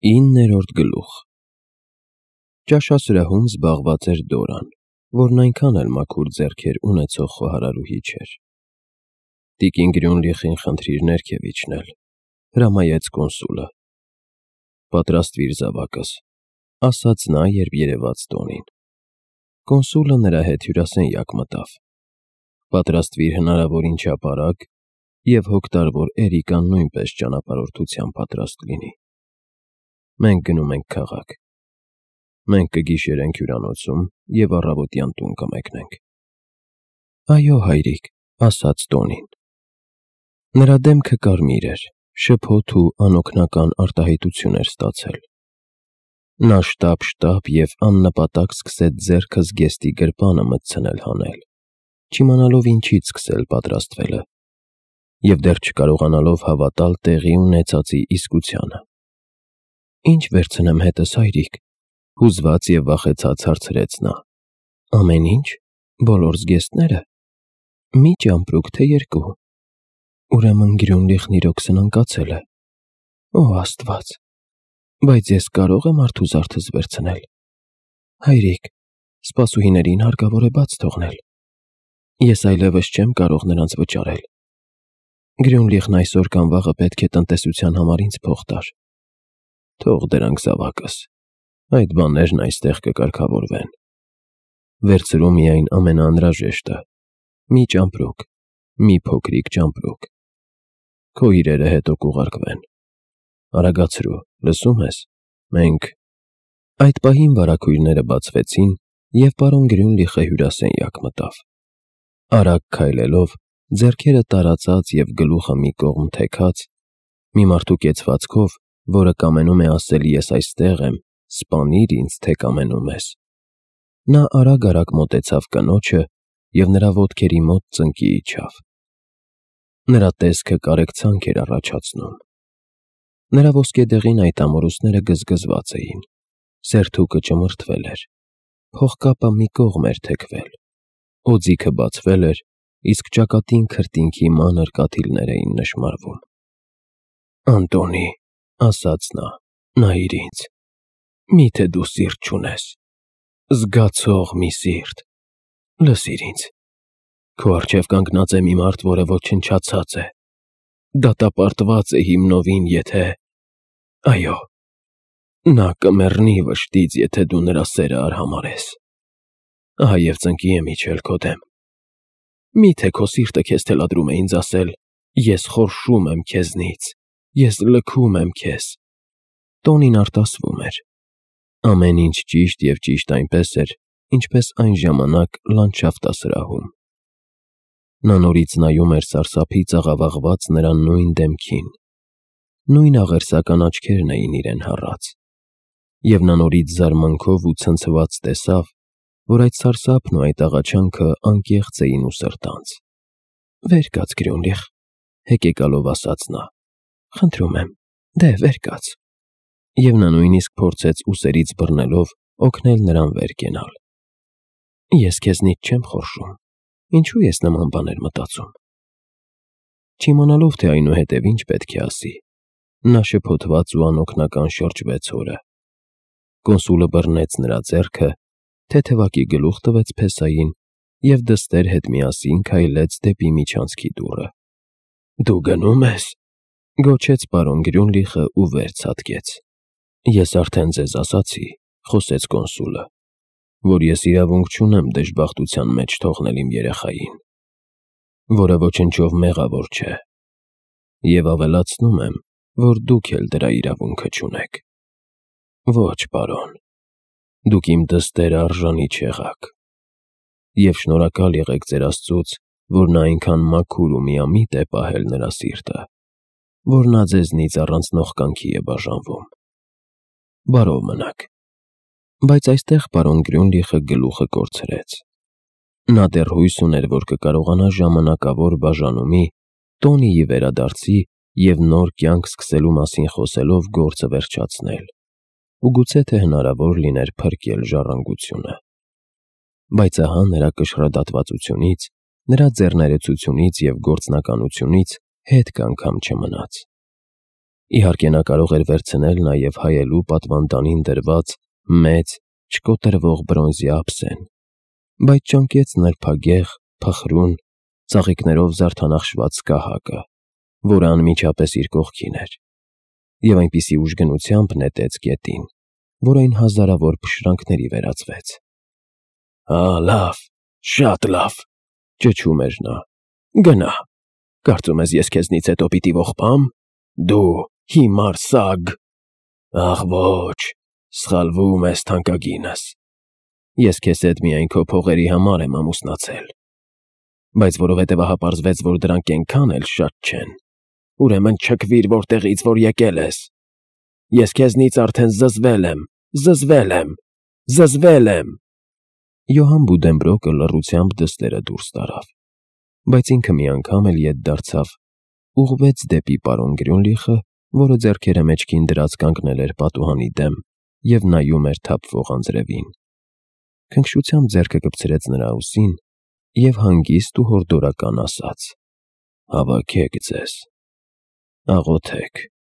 9-րդ գլուխ Ճաշասրահում զբաղված էր Դորան, որն այնքան էլ մաքուր ձեռքեր ունեցող խոհարարուհի չէր։ Տիկին Գրյունլիխին խնդրիր ներքև իջնել, հրամայեց կոնսուլը։ Պատրաստվիր զավակս, ասաց նա, երբ երևաց Տոնին։ Կոնսուլը նրա հետ հյուրասենյակ մտավ։ Պատրաստվիր հնարավորին չափ արագ և հոգ տար, որ Էրիկան նույնպես ճանապարհորդության պատրաստ լինի։ Մենք գնում ենք քաղաք։ Մենք կգիշերենք հյուրանոցում և առավոտյան տուն կմեկնենք։ Այո, հայրիկ, ասաց Տոնին։ Նրա դեմքը կարմիր էր, շփոթ ու անօգնական արտահայտություն էր ստացել։ Նա շտապ և աննպատակ սկսեց ձեռքը զգեստի գրպանը մտցնել հանել, չիմանալով ինչից սկսել պատրաստվելը, և դեռ չկարողանալով հավատալ տեղի ունեցածի իսկությանը։ Ինչ վերցնեմ հետս, հայրիկ, հուզված և վախեցած հարցրեց նա։ Ամեն ինչ, բոլոր զգեստները, մի ճամպրուկ, թե երկու։ Ուրեմն Գրյունլիխն իրոք սնանկացել է։ Օ Աստված, բայց ես կարող եմ արթուզարդս վերցնել։ Հայրիկ, սպասուհիներին հարկավոր է բաց թողնել։ Ես այլևս չեմ կարող նրանց վճարել։ Գրյունլիխն այսօր կամ վաղը պետք է տնտեսության համար ինձ փող տար։ Թող դրանք, զավակս, այդ բաներն այստեղ կկարգավորվեն։ Վերցրու միայն ամենաանհրաժեշտը՝ մի ճամպրուկ, մի փոքրիկ ճամպրուկ։ Քո իրերը հետո կուղարկվեն։ Արագացրու, լսում ես, մենք… Այդ պահին վարագույրները բացվեցին, և պարոն Գրյունլիխը հյուրասենյակ մտավ։ Արագ քայլելով, ձեռքերը տարածած և գլուխը մի կողմ թեքած, մի մարդու կեցվածքով, որը կամենում է ասել «ես այստեղ եմ, սպանիր ինձ, թե կամենում ես», նա արագ մոտեցավ կնոջը և նրա ոտքերի մոտ ծնկի իջավ։ Նրա տեսքը կարեկցանք էր առաջացնում։ Նրա ոսկեդեղին այդ ամորուսները գզգզված էին, սերթուկը ճմրթվել էր, փողկապը մի կողմ էր թեքվել, օձիքը բացվել էր, իսկ ճակատին քրտինքի մանր կաթիլներ էին նշմարվում։ Անտոնի, ասաց նա, նայիր ինձ, միթե դու սիրտ չունես, զգացող մի սիրտ, լսիր ինձ, քո առջև կանգնած է մի մարդ, որը ոչնչացած է, դատապարտված է հիմնովին, եթե… Այո, նա կմեռնի վշտից, եթե դու նրա սերը արհամարհես։ Ահա և ծնկի եմ իջել քո դեմ։ Միթե քո սիրտը քեզ թելադրում է ինձ ասել. «Ես խորշում եմ քեզնից, ես լքում եմ քեզ»։ Տոնին արտասվում էր։ Ամեն ինչ ճիշտ և ճիշտ այնպես էր, ինչպես այն ժամանակ լանդշաֆտասրահում։ Նա նորից նայում էր սարսափից աղավաղված նրա նույն դեմքին, նույն աղերսական աչքերն էին իրեն հառած, և նա նորից զարմանքով ու ցնցված տեսավ, որ այդ սարսափն ու այդ աղաչանքը անկեղծ էին ու սրտանց։ Վեր կաց, Գրյունլիխ, հեկեկալով ասաց նա, խնդրում եմ, դե վեր կաց։ Եվ նա նույնիսկ փորձեց ուսերից բռնելով օգնել նրան վեր կենալ։ Ես քեզնից չեմ խորշում, ինչու ես նման բաներ մտածում։ Չիմանալով, թե այնուհետև ինչ պետք է ասի, նա շփոթված ու անօգնական շրջվեց հորը։ Կոնսուլը բռնեց նրա ձեռքը, թեթևակի գլուխ տվեց փեսային և դստեր հետ միասին քայլեց դեպի միջանցքի դուռը։ Դու գնո՞ւմ ես, գոչեց պարոն Գրյունլիխը ու վեր ցատկեց։ Ես արդեն ձեզ ասացի, խոսեց կոնսուլը, որ ես իրավունք չունեմ դժբախտության մեջ թողնել իմ երեխային, որը ոչնչով մեղավոր չէ, և ավելացնում եմ, որ դուք էլ դրա իրավունքը չունեք։ Ոչ, պարոն, դուք իմ դստերը արժանի չեղաք, և շնորհակալ եղեք ձեր Աստծուց, որ նա այնքան մաքուր ու միամիտ է պահել նրա սիրտը, որ նա ձեզնից առանց նողկանքի է բաժանվում։ Բարով մնաք։ Բայց այստեղ պարոն Գրյունլիխը գլուխը կորցրեց։ Նա դեռ հույս ուներ, որ կկարողանա ժամանակավոր բաժանումի, Տոնիի վերադարձի և նոր կյանք սկսելու մասին խոսելով գործը վերջացնել, ու գուցե թե հնարավոր լիներ փրկել ժառանգությունը։ Բայց ահա նրա կշռադատվածությունից, նրա ձեռներեցությունից և գործնականությունից հետք անգամ չմնաց։ Իհարկե նա կարող էր վերցնել նաև հայելու պատվանդանին դրված մեծ, չկոտրվող բրոնզի ափսեն, բայց ճանկեց նրբագեղ, փխրուն, ծաղիկներով զարդանախշված սկահակը, որը անմիջապես իր կողքին էր, և այնպիսի ուժգնությամբ նետեց գետին, որ այն հազարավոր փշրանքների վերածվեց։ «Լավ, շատ լավ», ճչում էր նա, «գնա, կարծում ես ես քեզնից հետո պիտի ողբա՞մ, դու հիմար սագ։ Ախ ոչ, սխալվում ես, թանկագինս, ես քեզ հետ միայն քո փողերի համար եմ ամուսնացել, բայց որովհետև ահա պարզվեց, որ դրանք էնքան էլ շատ չեն, ուրեմն չքվիր որտեղից որ եկել ես, ես քեզնից արդեն զզվել եմ»։ Յոհան Բուդենբրոկը լռությամբ դստերը դուրս տարավ, բայց ինքը մի անգամ էլ ետ դարձավ, ուղղվեց դեպի պարոն Գրյունլիխը, որը ձեռքերը մեջքին դրած կանգնել էր պատուհանի դեմ և նայում էր թափվող անձրևին, քնքշությամբ ձեռքը կպցրեց նրա ուսին և հանգիստ ու հորդորական ասաց. «Հավաքեք ձեզ, աղոթեք»։